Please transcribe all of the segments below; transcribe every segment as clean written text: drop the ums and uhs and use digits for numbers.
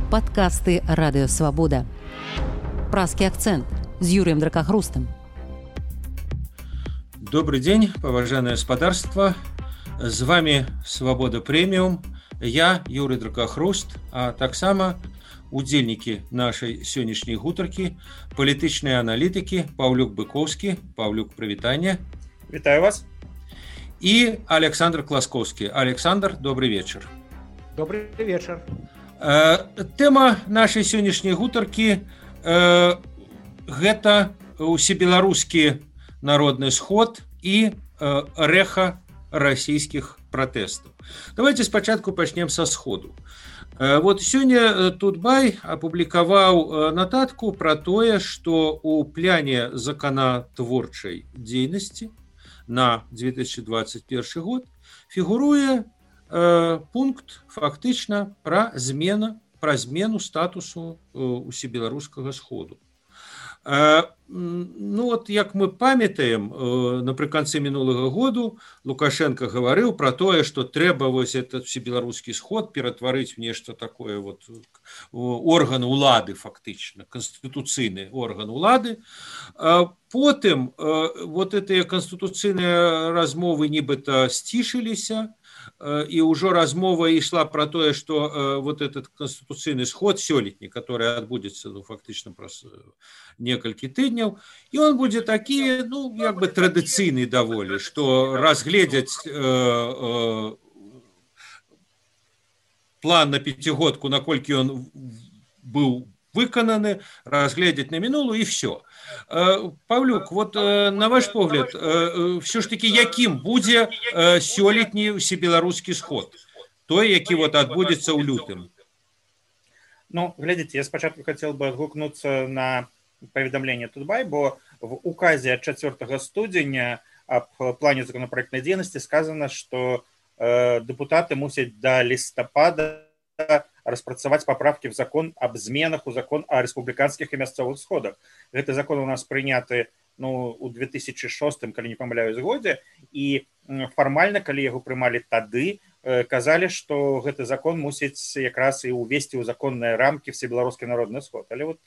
Падкасты радыёвабода. Празкі акцэнт з Юрыем Дракахрустам. Добрый день, поважанное господарство. С вами Свобода Премиум. Я Юрий Дракахруст, а таксама удзельнікі нашай сённяшняй гутаркі, палітычныя аналітыкі Паўлюк Быкоўскі. Паўлюк, прывітанне. Вітаю вас. И Александр Класкоўскі. Александр, добрый вечер. Добрый вечер. Тэма нашай сённяшняй гутаркі гэта усебеларускі народны сход і рэха расійскіх пратэстаў. Давайте спачатку пачнем са сходу. Вот сёння Тутбай апублікаваў нататку пра тое, што ў пляне законатворчай дзейнасці на 2021 год фігуруе пункт фактычна пра змену статусу усебеларускага сходу. Ну вот, як мы памятаем, напрыканцы мінулага году Лукашенко гаварыў пра тое, што трэба вось этот всебеларускі сход ператварыць в нешта такое вот орган улады, фактычна канстытуцыйны орган улады. Потым вот гэтыя канстытуцыйныя размовы нібыта сцішыліся, і ўжо размова ішла пра тое, што вот этот канстытуцыйны сход сёлетні, который адбудзецца фактычна праз некалькі тыдняў, і он будзе такі, ну, як бы традыцыйны даволі, што разгледзяць план на пяцігодку, наколькі он быў выкананы, разгледзяць на мінулую, і все. Павлюк, вот на ваш погляд, все ж таки, якім будзе сёлетні усебеларускі сход? Той, які вот адбудзецца ў лютым. Ну, глядите, я спочатку хотел бы отгукнуться на поведомление Тутбай, бо в указе от 4 студеня об плане законопроектной деятельности сказано, что депутаты мусят до листопада распрацаваць поправки в закон об зменах у закон о республиканских и мясцовых сходах. Гэты закон у нас прыняты, ну, у 2006, калі не памыляюсь, годзе, і фармальна, калі яго прымалі тады, казалі, што гэты закон мусіць якраз і увесці ў законныя рамкі всебеларускі народны сход. Але вот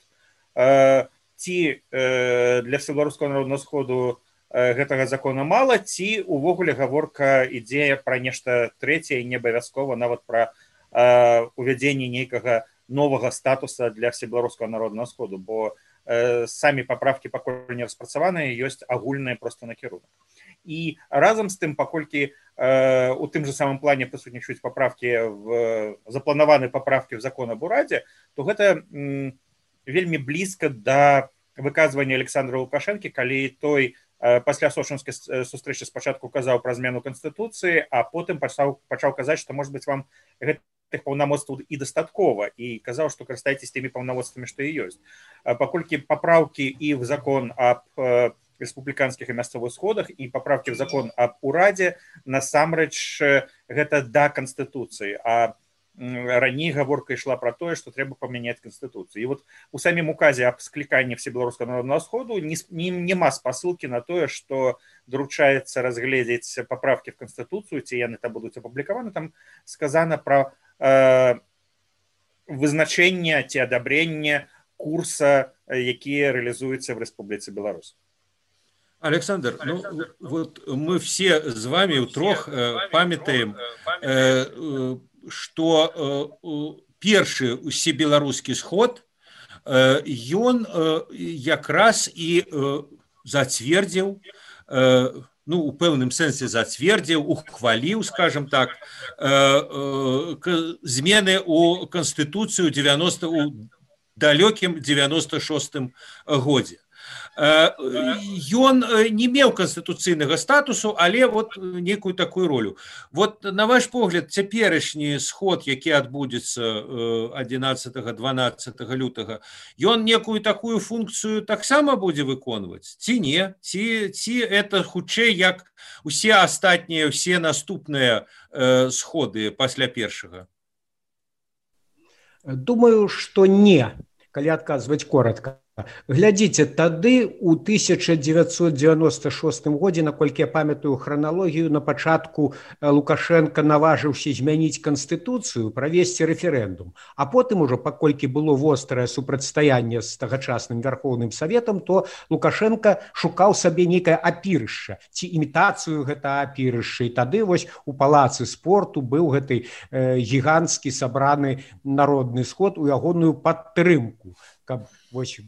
ці для всебеларускага народнага сходу гэтага закона мала, ці увогуле гаворка ідзе пра нешта трэцяе, не абавязкова нават пра увядзенне нейкага новага статуса для всебеларускага народнага сходу, бо самі паправкі пакуль не распрацаваныя, ёсць агульныя проста накірунак. І разам з тым, паколькі у тым же самым плане прысутнічаюць запланаваны паправкі в закон об урадзе, то гэта вельмі блізка да выказвання Александра Лукашэнкі, калі той пасля сочынскай сустрэчы спачатку казаў пра змену канстытуцыі, а потым пачаў казаць, што, можа быць, вам гэтых паўнамоцтваў і дастаткова, і казаў, што карыстайцеся тымі паўнамоцтвамі, што і ёсць. Паколькі паправкі і в закон об республиканских и мясцовых сходах и поправки в закон об урадзе насамрэч гэта да Конституции, а раней гаворка ішла про тое, што трэба памяняць Конституцию. И вот у самім указе об скліканні всебеларускага народнага сходу нема спасылкі на тое, што доручаецца разгледзець поправки в Конституцию, ці яны там будуць апублікаваны. Там сказано про вызначэнне ці адабрэнне курса, які реализуется в Республике Беларусь. Александр, ну вот мы все с вами утрох памятаем, что першы усебеларускі сход ён якраз і зацвердзіў, ну, у пэўным сэнсе зацвердзіў, ухваліў, скажем так, змены у Канстытуцыю у далёкім 96-м годзе. Ён не меў канстытуцыйнага статусу, але вот некую такую ролю. Вот на ваш погляд, цяперашні сход, які адбудзецца 11-12 лютага, ён некую такую функцыю таксама будзе выконваць? Ці не? Ці это хутчэй як усе астатнія, усе наступныя сходы пасля першага? Думаю, што не, калі адказваць коротко. Глядзіце, тады у 1996 годзе, наколькі я памятаю храналогію, на пачатку Лукашенко наважыўся змяніць канстытуцыю, правесці рэферэндум. А потым ужо, паколькі было вострае супрацьстаянне з тагачасным Вярхоўным Саветам, то Лукашенко шукаў сабе нейкае апірышча, ці імітацыю гэта апірышча. І тады вось у палацы спорту быў гэты гіганцкі сабраны народны сход у ягоную падтрымку, каб вось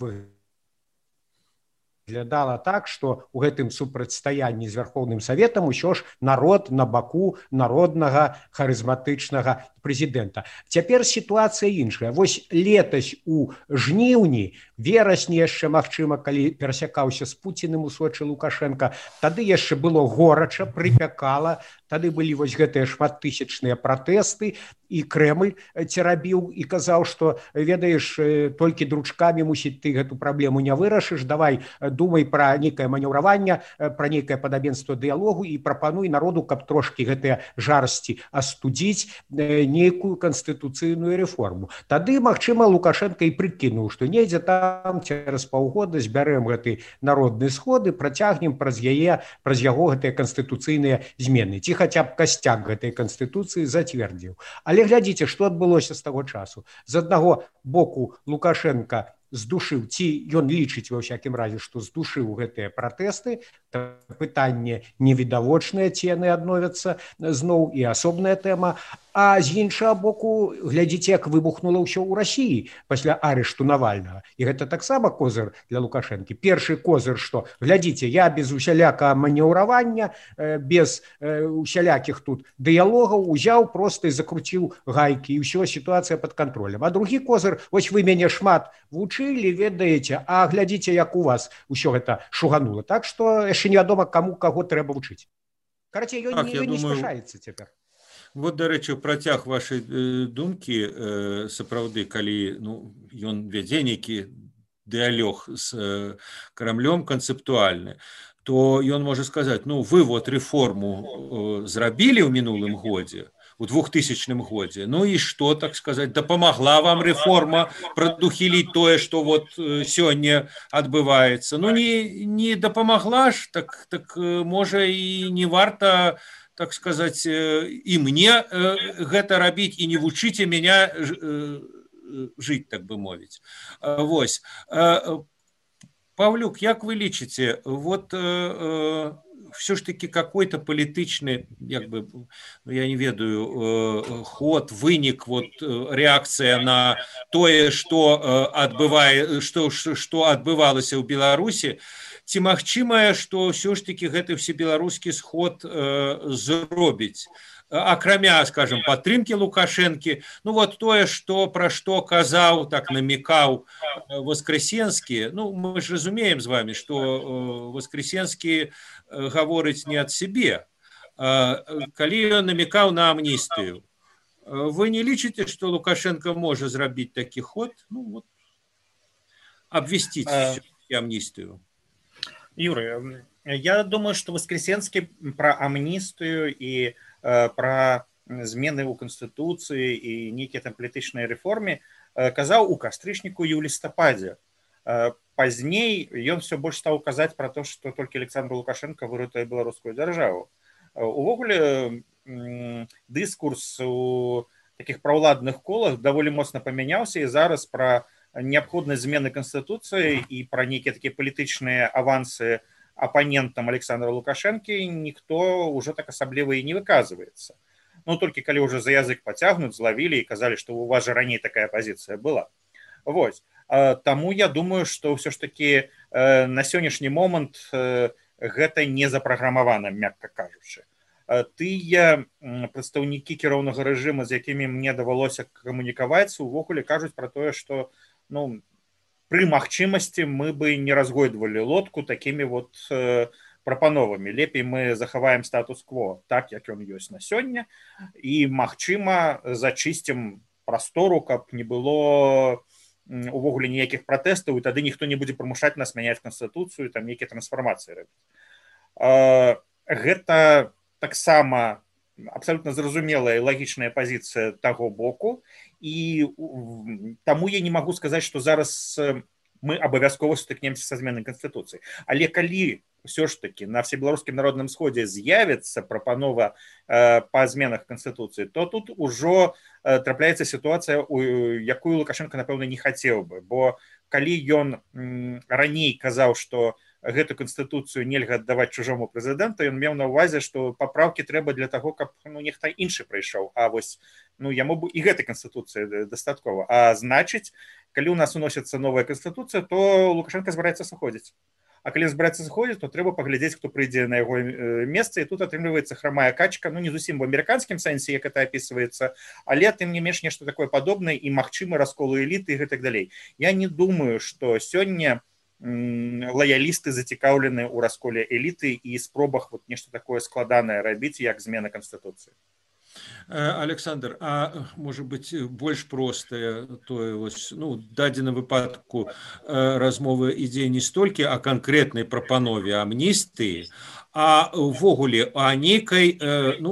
выглядала так, што ў гэтым супрацьстаянні з Вярхоўным Саветам усё ж народ на баку народнага харызматычнага прэзідэнта. Цяпер сітуацыя іншая. Вось летась у жніўні, верасні яшчэ, магчыма, калі перасякаўся з Пуціным у Сочы Лукашенко, тады яшчэ было горача, прыпякала, тады былі вось гэтыя шматтысячныя пратэсты, і Крэмль церабіў і казаў, што, ведаеш, толькі дручкамі, мусіць, ты гэту праблему не вырашыш, давай думай пра нейкае манеўраванне, пра нейкае падабенства дыялогу і прапануй народу, каб трошкі гэтыя жарсці астудзіць, нейкую канстытуцыйную рэформу. Тады, магчыма, Лукашенко і прыкінуў, што недзе там цераз паўгода збярэм гэты народны сход і працягнем праз яго гэтыя канстытуцыйныя змены. Ці хаця б касцяк гэтай канстытуцыі зацвердзіў. Але глядзіце, што адбылося з таго часу. З аднаго боку Лукашенко здушыў, ці ён лічыць ва ўсякім разе, што здушыў гэтыя пратэсты, пытанне невідавочнае, ці яны адновяцца зноў, і асобная тэма. А з іншага боку, глядзіце, як выбухнула ўсё ў Расіі пасля арышту Навальнага. І гэта таксама козыр для Лукашэнкі. Першы козыр, што, глядзіце, я без усялякага манеўравання, без усялякіх тут дыялогаў узяў, проста і закруціў гайкі, і ўсё, сітуацыя пад кантролем. А другі козыр, вось вы мяне шмат вучылі, ведаеце, а глядзіце, як у вас усё гэта шуганула. Так што яшчэ невядома, каму каго трэба вучыць. Карацей, ён не спяшаецца цяпер. Вот, дарэчы, працяг вашай думкі, сапраўды, калі ён вядзе нейкі дыялог з Крамлём канцэптуальны, то ён можа сказаць, вы вот рэформу зрабілі ў мінулым годзе, у 2000 годзе, і што, так сказаць, дапамагла вам рэформа прадухіліць тое, што вот сёння адбываецца. Не дапамагла ж, так можа і не варта, так сказать, и мне гэта рабіць, і не вучыце меня жыць, так бы мовіць. Вось. Павлюк, як вы лічыце, вот все ж таки какой-то палітычны, я не ведаю, ход, вынік, вот реакцыя на тое, што адбывалася ў Беларусі, ці магчымае, што ўсё ж таки гэты всебеларускі сход зробіць, акрамя, скажем, падтрымкі Лукашэнкі, вот тое, пра што казаў, так намекаў Воскресенскі, мы ж разумеем з вами, што Воскресенскі гаворыць не ад сябе, калі ён намекаў на амністыю. Вы не лічыце, што Лукашенко можа зрабіць такі ход, абвясціць амністыю? Юрий, я думаю, что Воскресенский про амнистию и про змены ў Конституции и некие там палітычныя рэформы казаў у кастрычніку і ў лістападзе. Пазней ён все больш стаў казаць про то, что только Александр Лукашенко выратуе беларускую дзяржаву. Увогуле дыскурс у таких праўладных колах даволі моцна памяняўся, і зараз про необходность змены Конституции и про некие такие политичные авансы оппонентам Александра Лукашенко никто уже так особливо и не выказывается. Только когда уже за язык потягнут, зловили и сказали, что у вас же ранее такая позиция была. Вот. Тому я думаю, что все ж таки на сегодняшний момент гэта не запрограммовано, мягко кажучи. Тыя прадстаўнікі кіроўнага рэжыма, з якімі мне давялося камунікаваць, увогуле кажуць пра тое, што пры магчымасці мы бы не разгойдвалі лодку такімі вот прапановамі. Лепей мы захаваем статус-кво так, як ён ёсць на сёння, і, магчыма, зачысцім прастору, каб не было увогуле ніякіх пратэстаў, і тады ніхто не будзе прымушаць нас мяняць канстытуцыю, там нейкія трансфармацыі рабіць. Гэта таксама абсолютно зразумелая і лагічная пазіцыя таго боку, і таму я не магу сказаць, што зараз мы абавязкова сутыкнемся са зменай канстытуцыі. Але калі ўсё ж таки на всебеларускім народным сходзе з'явіцца прапанова па зменах канстытуцыі, то тут ужо трапляецца сітуацыя, якую Лукашенко, напэўна, не хацеў бы, бо калі ён раней казаў, што гэту канстытуцыю нельга аддаваць чужому прэзідэнту, ён меў на ўвазе, што папраўкі трэба для таго, каб нехта іншы прыйшоў, а вось яму б і гэтай канстытуцыі дастаткова. А значыць, калі у нас уносіцца новая канстытуцыя, то Лукашенко збіраецца сыходзіць. А калі збіраецца сыходзіць, то трэба паглядзець, хто прыйдзе на яго месца, і тут атрымліваецца храмая качка, не зусім в амерыканскім сэнсе, як это апісваецца, але тым не менш нешта такое падобнае і магчымы раскол эліты і гэтак далей. Я не думаю, што сёння лоялісты зацікаўлены ў расколе эліты і спробах нешта такое складанае рабіць, як змена канстытуцыі. Александр, а можа быць больш простае тое, дадзеным выпадку размовы ідзе не столькі о канкрэтнай прапанове амністыі, а ўвогуле о нейкай,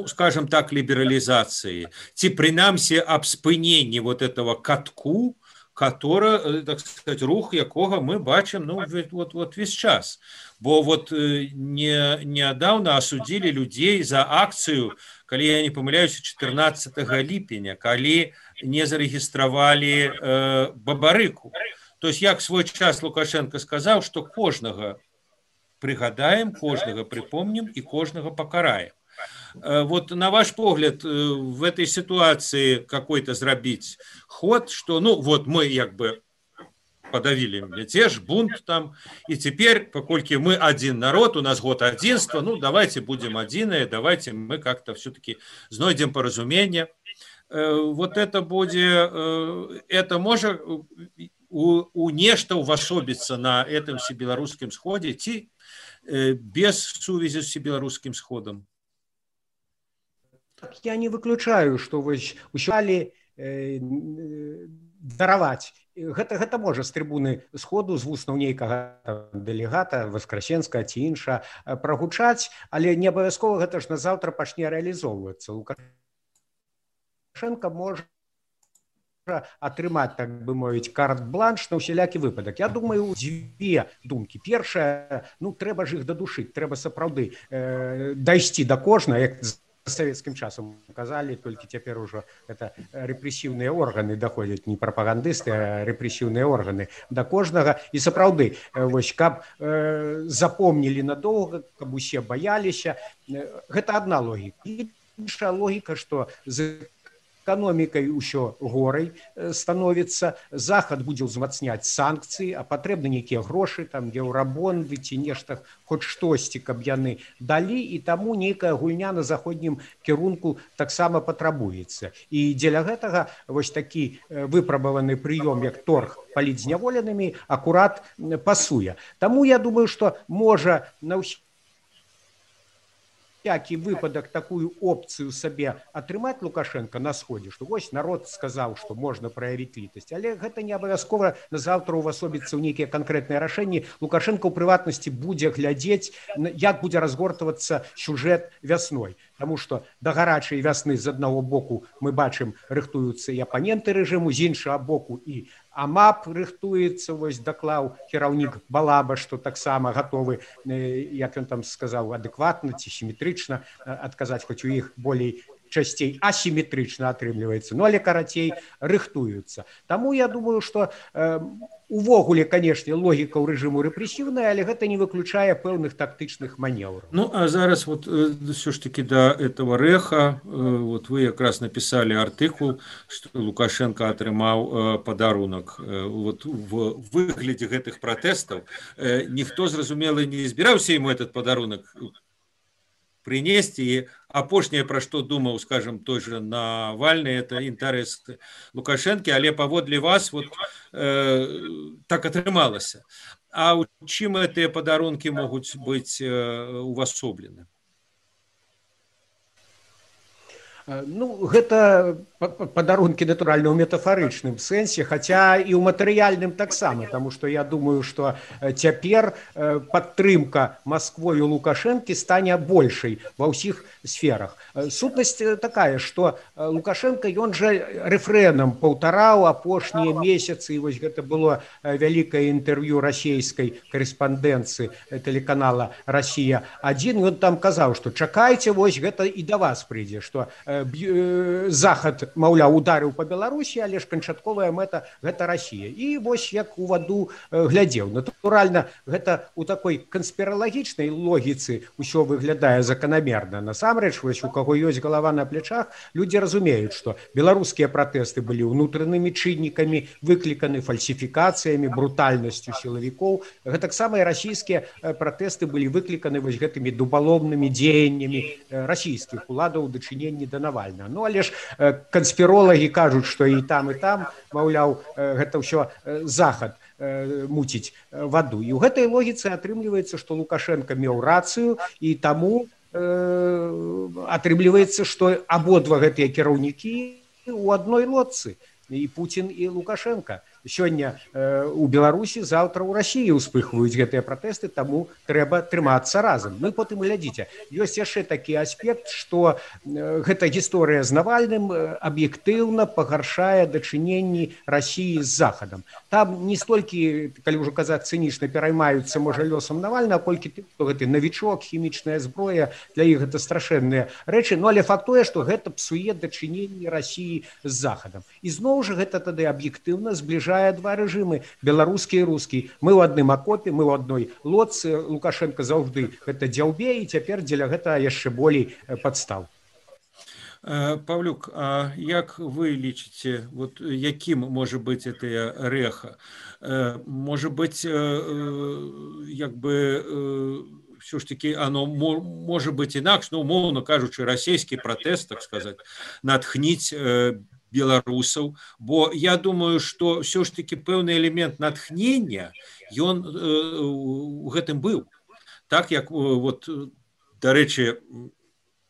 скажем так, лібералізацыі, ці прынамсі аб спыненні этого катку, который, так сказать, рух якога мы бачым весь час. Бо нядаўна асудзілі людзей за акцыю, калі я не памыляюся, 14 ліпеня, калі не зарэгістравалі бабарыку. То есть, як свой час Лукашенко сказаў, што кожнага прыгадаем, кожнага прыпомнім і кожнага пакараем. На ваш погляд, в этой ситуации какой-то зрабіць ход, что, мы подавили мятеж, бунт там, и теперь, покольки мы один народ, у нас год единства, давайте будем единые, давайте мы как-то все-таки знойдем поразумение. Это будет, это может у нешта увасобіцца на этом всебеларускім сходе, ці без сувязі з всебеларускім сходом? Я не выключаю, што ўсё дараваць. Гэта можа з трыбуны сходу, з вуснаў нейкага дэлегата, Васкрасенскага ці інша прагучаць, але не абавязкова гэта ж назаўтра пачне рэалізоўвацца. Лукашенко можа атрымаць, так бы мовіць, карт-бланш на ўсялякі выпадак. Я думаю, дзве думкі. Першая, трэба ж іх дадушыць, трэба сапраўды дайсці да кожнага, як савецкім часам казалі, толькі цяпер ужо это рэпрэсіўныя органы даходзяць, не прапагандысты, а рэпрэсіўныя органы да кожнага. І сапраўды, каб запомнілі надоўга, каб усе баяліся, гэта адна логіка. Іншая логіка, што з эканомікай усё горай становіцца, захад будзе ўзмацняць санкцыі, а патрэбны нейкія грошы, там еўрабонды ці нешта, хоць штосьці, каб яны далі, і таму нейкая гульня на заходнім кірунку таксама патрабуецца. І дзеля гэтага такі выпрабаваны прыём, як торг палітзняволенымі, акурат пасуе. Таму я думаю, што можа на всякий выпадак такую опцыю сабе атрымаць Лукашенко на сходе, што народ сказаў, што можна праявіць літасць, але гэта не абавязкова назаўтра увасобіцца ў нейкія канкрэтныя рашэнні. Лукашенко ў прыватнасці будзе глядзець, як будзе разгортвацца сюжэт вясной. Таму што да гарачай вясны з аднаго боку мы бачым, рыхтуюцца і апаненты рэжыму, з іншага боку і АМАП рыхтуецца, даклаў кіраўнік Балаба, што таксама гатовы, як ён там сказаў, адэкватна ці сіметрычна адказаць, хоць у іх болей часцей асіметрычна атрымліваецца, але карацей рыхтуюцца. Таму я думаю, што увогуле, канешне, логіка ў рэжыму рэпрэсіўная, але гэта не выключае пэўных тактычных манеўраў. А зараз все ж таки до этого рэха, вы якраз написали артыкул, што Лукашенко атрымаў падарунак. В выглядзе гэтых пратэстаў ніхто, зразумела, не збіраўся ему этот падарунак принести, и апошняе, пра што думаў, скажем, той же Навальны, это інтарэс Лукашэнкі, але паводле вас так атрымалася. А у чым гэтыя падарункі могуць быць увасоблены? Гэта падарункі натуральна ў метафарычным сэнсе, хаця і ў матэрыяльным таксама, таму што я думаю, што цяпер падтрымка Масквою Лукашэнкі стане большай ва ўсіх сферах. Сутнасць такая, што Лукашенко ён жа рэфрэнам паўтараў апошнія месяцы, і вось гэта было вялікае інтэрв'ю расійскай корэспандэнцыі тэлеканала «Расія-1». Ён там казаў, што чакайце, вось гэта і да вас прыйдзе, што Захад, маўляў, ударыў па Беларусі, але ж канчатковая мэта гэта Расія. І вось як у ваду глядзеў. Натуральна, гэта у такой канспіралагічнай логіцы ўсё выглядае заканамерна. Насамрэч, вось у каго ёсць галава на плечах, людзі разумеюць, што беларускія пратэсты былі ўнутранымі чыннікамі, выкліканы фальсіфікацыямі, брутальнасцю сілавікоў. Гэтаксама і расійскія пратэсты былі выкліканы вось гэтымі дубаломнымі дзеяннямі расійскіх уладаў у дачыненні да Навальнага. Ну, але ж канспіролагі кажуць, што і там, маўляў, гэта ўсё Захад муціць ваду. І ў гэтай логіцы атрымліваецца, што Лукашенко меў рацыю, і таму атрымліваецца, што абодва гэтыя кіраўнікі ў адной лодцы, і Пуцін, і Лукашенко. Сёння у Беларусі, заўтра ў Расіі ўспыхваюць гэтыя пратэсты, таму трэба трымацца разам. Ну і потым глядзіце, ёсць яшчэ такі аспект, што гэта гісторыя з Навальным аб'ектыўна пагаршае дачыненні Расіі з Захадам. Там не столькі, калі ўжо казаць цынічна, пераймаюцца, можа, лёсам Навальнага, колькі тым, што гэты навічок, хімічная зброя, для іх гэта страшэнныя рэчы, ну але факт тое, што гэта псуе дачыненні Расіі з Захадам. І зноў жа гэта тады аб'ектыўна збліжае два рэжымы, беларускі і рускі. Мы ў адным акопе, мы ў адной лодцы. Лукашенко заўжды гэта дзяўбе, і цяпер дзеля гэта яшчэ болей падстаў. Павлюк, а як вы лічыце, вот якім можа быць гэтая рэха? Можа быць, як бы все ж таки оно може бути інакше, ну, умовно кажучи, расійський протест, так сказати, натхніць беларусаў, бо я думаю, што все ж таки пэўны элемент натхнення ён у гэтым быў. Так як вот, дарэчы,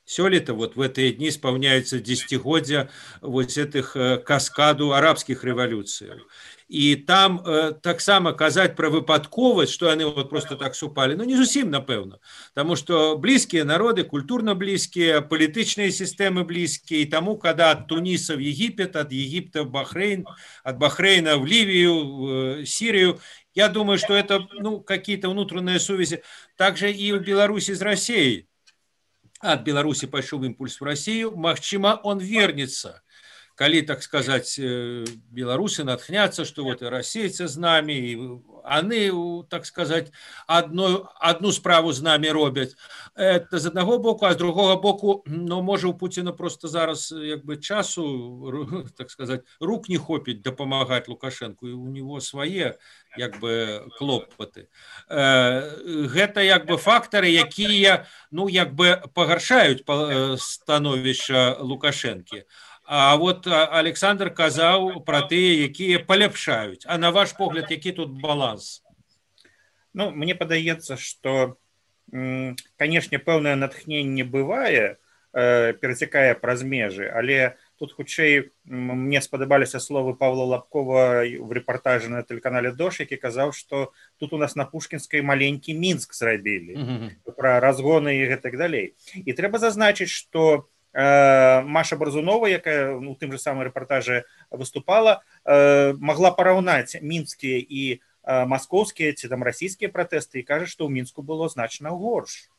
сёлета вот в гэтыя дні спаўняецца дзесяцігоддзя вот этих каскаду арабскіх рэвалюцыяў. І там таксама казаць пра выпадковасць, што яны вот просто так супалі, ну не зусім, напэўна, таму што блізкія народы, культурна блізкія, палітычныя сістэмы блізкія, і таму, когда ад Туніса в Египет, ад Египта в Бахрейн, ад Бахрейна в Ливию, Сирию, я думаю, что это, ну, какие-то внутренние связи. Также и в Беларуси с Россией. От Беларуси пошел импульс в Россию, магчыма, он вернется. Коли, так сказать, белорусы натхнятся, что вот и российцы с нами, и они, так сказать, одну справу з нами робят. Это з одного боку, а з другого боку, ну, може у Путіна просто зараз якби часу, так сказать, рук не хопить допомагать Лукашенку, и у него свои якби клопоты. Гэта якби фактори, які, ну, якби погаршають становище Лукашенки. А вот Александр казаў про тыя, якія паляпшаюць. А на ваш погляд, які тут баланс? Ну, мне падаецца, што, канешне, пэўнае натхненне бывае, перацякае праз межы, але тут хутчэй мне спадабаліся словы Павла Лабкова в рэпартажы на тэлеканале «Дождь», які казаў, што тут у нас на Пушкінскай маленькі Мінск зрабілі, пра разгоны і гэтак далей. І трэба зазначыць, што Маша Барзунова, якая у тым же самым рэпартажы выступала, могла параўнаць мінскія і маскоўскія ці там расійскія пратэсты і кажа, што ў Мінску было значна горш.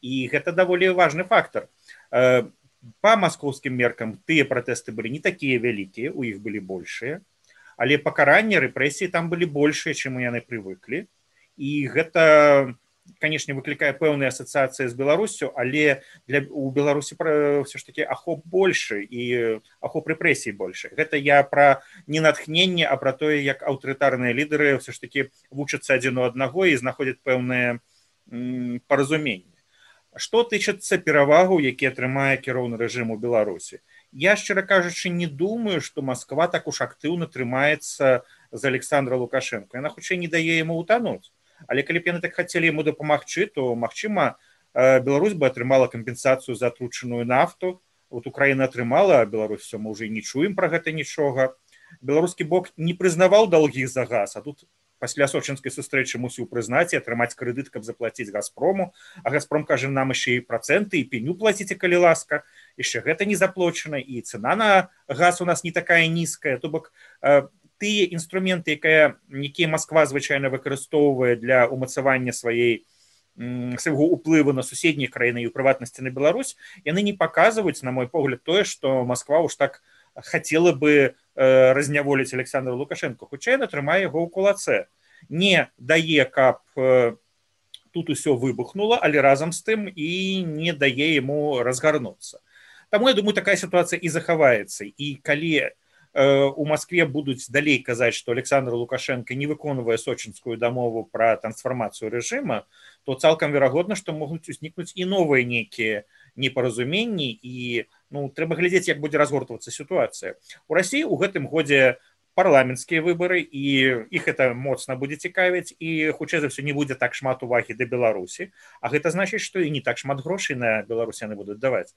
І гэта даволі важны фактор. Па маскоўскім меркам тыя пратэсты былі не такія вялікія, у іх былі большыя, але пакаранні, рэпрэсіі там былі большыя, чым яны прывыклі. І гэта, конечно, выклікае пэўныя асацыяцыі з Беларусю, але у Беларусі все ж таки ахоп больше і ахоп рэпрэсій больше. Гэта я пра не натхненне, а пра тое, як аўтарытарныя лідары все ж таки вучацца адзін у аднаго і знаходзяць пэўныя паразуменні. Што тычыцца перавагу, які атрымае кіроўны рэжым у Беларусі? Я, шчыра кажучы, не думаю, што Масква так уж актыўна трымаецца з Александра Лукашенко. Яна хутчэй не дае яму утануць. Але калі б яны так хацелі яму дапамагчы, то, магчыма, Беларусь бы атрымала кампенсацыю за атручаную нафту, вот Украіна атрымала, а Беларусь все, мы ўжо не чуем пра гэта нічога. Беларускі бок не прызнаваў даўгі за газ, а тут пасля сочынскай сустрэчы мусіў прызнаць і атрымаць крэдыт, каб заплаціць Газпрому, а Газпром кажа, нам яшчэ і працэнты і пеню плаціце, калі ласка, яшчэ гэта не заплачана, і цана на газ у нас не такая нізкая, то бок тыя інструменты, якія Масква звычайна выкарыстоўвае для ўмацавання свайго ўплыву на суседнія краіны і ў прыватнасці на Беларусь, яны не паказваюць, на мой погляд, тое, што Масква ўж так хацела бы разняволіць Александра Лукашенко, хутчэй яна трымае яго ў кулацэ. Не дае, каб тут усё выбухнула, але разам з тым і не дае яму разгарнуцца. Таму, я думаю, такая сітуацыя і захаваецца. І калі у Москве будуць далей казаць, што Александр Лукашенко не выконвае сочынскую дамову пра трансфармацыю рэжыма, то цалкам верагодна, што могуць узнікнуць і новыя нейкія непаразуменні, і трэба глядзець, як будзе разгортвацца сітуацыя. У Расіі ў гэтым годзе парламенцкія выбары, і іх это моцна будзе цікавіць, і хутчэй за ўсё не будзе так шмат увагі да Беларусі, а гэта значыць, што і не так шмат грошай на Беларусь яны будуць даваць.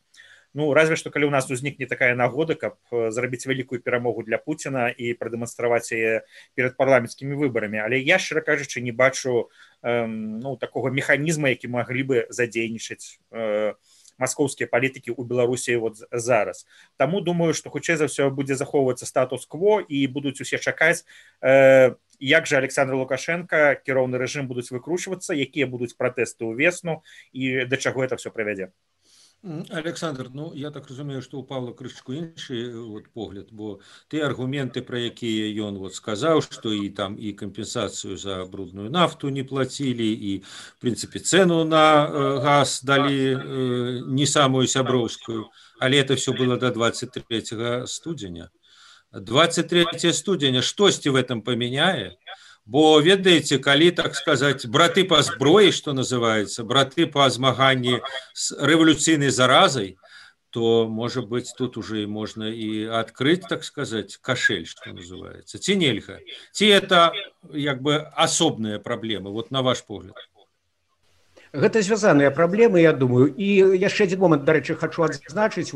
Разве што калі ў нас узнікне такая нагода, каб зрабіць вялікую перамогу для Пуціна і прадэманстраваць яе перад парламенцкімі выбарамі. Але я, шчыра кажучы, не бачу такога механізма, які маглі бы задзейнічаць маскоўскія палітыкі ў Беларусі зараз. Таму думаю, што хутчэй за ўсё будзе захоўвацца статус-кво і будуць усе чакаць, як жа Александр Лукашенко, кіроўны рэжым будуць выкручвацца, якія будуць пратэсты ўвесну і да чаго это все прывядзе. Александр, я так разумею, што ў Павла крышачку іншы погляд, бо тыя аргументы, пра якія ён сказаў, што і там і кампенсацыю за брудную нафту не плацілі, і в прынцыпе цэну на газ далі не самую сяброўскую, але это все было до 23 студзеня. 23 студзеня штосьці в этом памяняе? Бо, ведаеце, калі, так сказаць, браты па зброі, што называецца, браты па змаганні з рэвалюцыйнай заразай, то, можа быць, тут уже можна і адкрыць, так сказаць, кашель, што называецца. Ці нельга? Ці это, як бы, асобныя праблемы, на ваш погляд? Гэта звязаныя праблемы, я думаю. І яшчэ адзін момант, дарэчы, хачу адзначыць,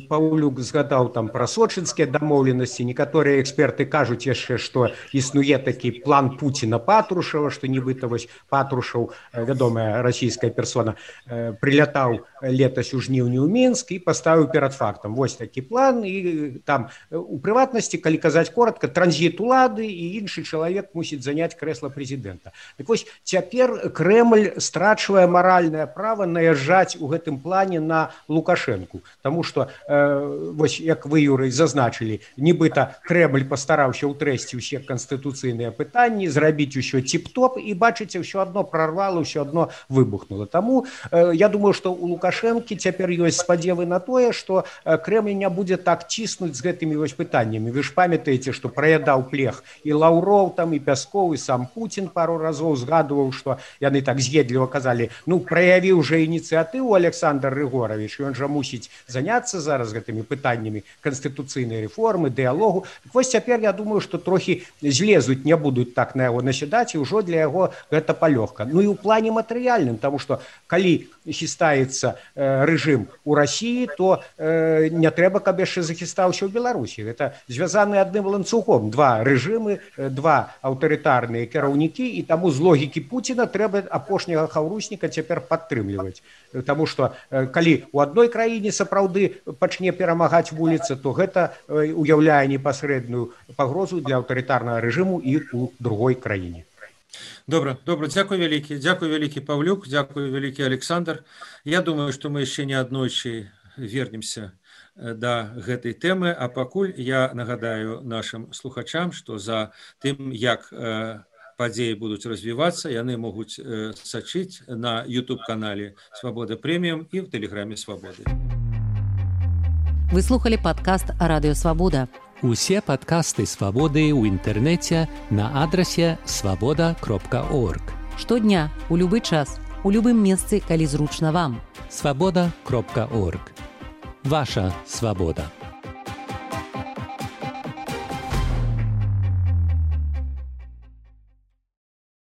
Паўлюк згадаў там пра сочынскія дамоўленасці. Некаторыя эксперты кажуць яшчэ, што існуе такі план Пуціна-Патрушева, што нібыта Патрушев, вядомая расійская персона, прилятаў летась у жніўні ў Мінск і паставіў перад фактам. Вось такі план, і там у прыватнасці, калі казаць коротка, транзіт улады і іншы чалавек мусіць заняць крэсла прэзідэнта. Так вось, цяпер Крэмль страчвае маральнае права наязджаць у гэтым плане на Лукашэнку. Таму што, як вы, Юрый, зазначылі, нібыта Крэмль пастараўся ўтрэсці ўсе канстытуцыйныя пытанні, зрабіць усё ціп-топ, і бачыце, ўсё адно прарвала, ўсё адно выбухнула. Таму я думаю, што у Лукашэнкі цяпер ёсць спадзевы на тое, што Крэмль не будзе так ціснуць з гэтымі пытаннямі. Вы ж памятаеце, што праядаў плех і Лаўроў, і Пяскоў, і сам Пуцін пару разоў згадваў, што яны так з'едліва казалі, праявіў жа ініцыятыву Александр Рыгорович, ён жа мусіць заняцца зараз гэтымі пытаннямі канстытуцыйнай рэформы, дыялогу. Так вось цяпер, я думаю, што трохі злезуць, не будуць так на яго насядаць, і ўжо для яго гэта палёгка. І ў плане матэрыяльным, таму што калі хістаецца рэжым у Расіі, то не трэба, каб яшчэ захістаўся ў Беларусі. Гэта звязаны адным ланцугом. Два рэжымы, два аўтарытарныя кіраўнікі, і таму з логікі Пуціна трэба апошняга хаўрусніка цяпер падтрымліваць. Таму што калі ў адной краіне сапраўды пачне перамагаць вуліца, то гэта уяўляе непасрэдную пагрозу для аўтарытарнага рэжыму і ў другой краіне. Добра, дзякуй вялікі Паўлюк, дзякуй вялікі Александр. Я думаю, што мы яшчэ не аднойчы вернемся да гэтай тэмы, а пакуль я нагадаю нашим слухачам, што за тым, як падзеі будуць развівацца, яны могуць сачыць на YouTube-канале «Свабода Прэміум» і в Тэлеграме «Свабоды». Вы слухали падкаст «Радыё Свабода». Усе падкасты «Свабоды» ў інтэрнэце на адрасе свабода.орг. Штодня, у любы час, у любым месцы, калі зручна вам. Свабода.орг. Ваша свабода.